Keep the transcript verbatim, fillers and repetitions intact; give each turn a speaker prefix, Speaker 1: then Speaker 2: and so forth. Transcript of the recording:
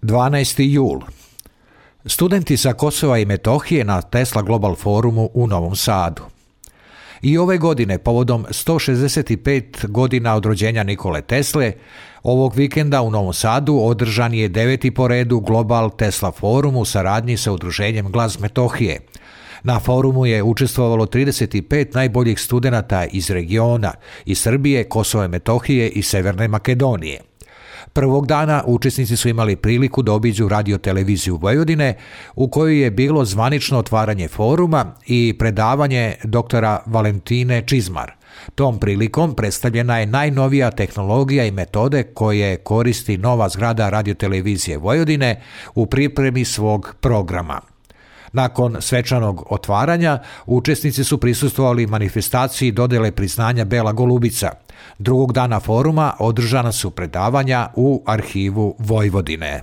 Speaker 1: dvanaesti jul. Studenti sa Kosova i Metohije na Tesla Global forumu u Novom Sadu. I ove godine, povodom sto šezdeset pet godina od rođenja Nikole Tesle, ovog vikenda u Novom Sadu održan je deveti po redu Global Tesla forum u saradnji sa udruženjem Glas Metohije. Na forumu je učestvovalo trideset pet najboljih studenata iz regiona, iz Srbije, Kosova i Metohije i Severne Makedonije. Prvog dana učesnici su imali priliku da obiđu radio-televiziju Vojvodine, u kojoj je bilo zvanično otvaranje foruma i predavanje doktora Valentine Čizmar. Tom prilikom predstavljena je najnovija tehnologija i metode koje koristi nova zgrada radio-televizije Vojvodine u pripremi svog programa. Nakon svečanog otvaranja, učesnici su prisustvovali manifestaciji dodele priznanja Bela golubica. Drugog dana foruma održana su predavanja u arhivu Vojvodine.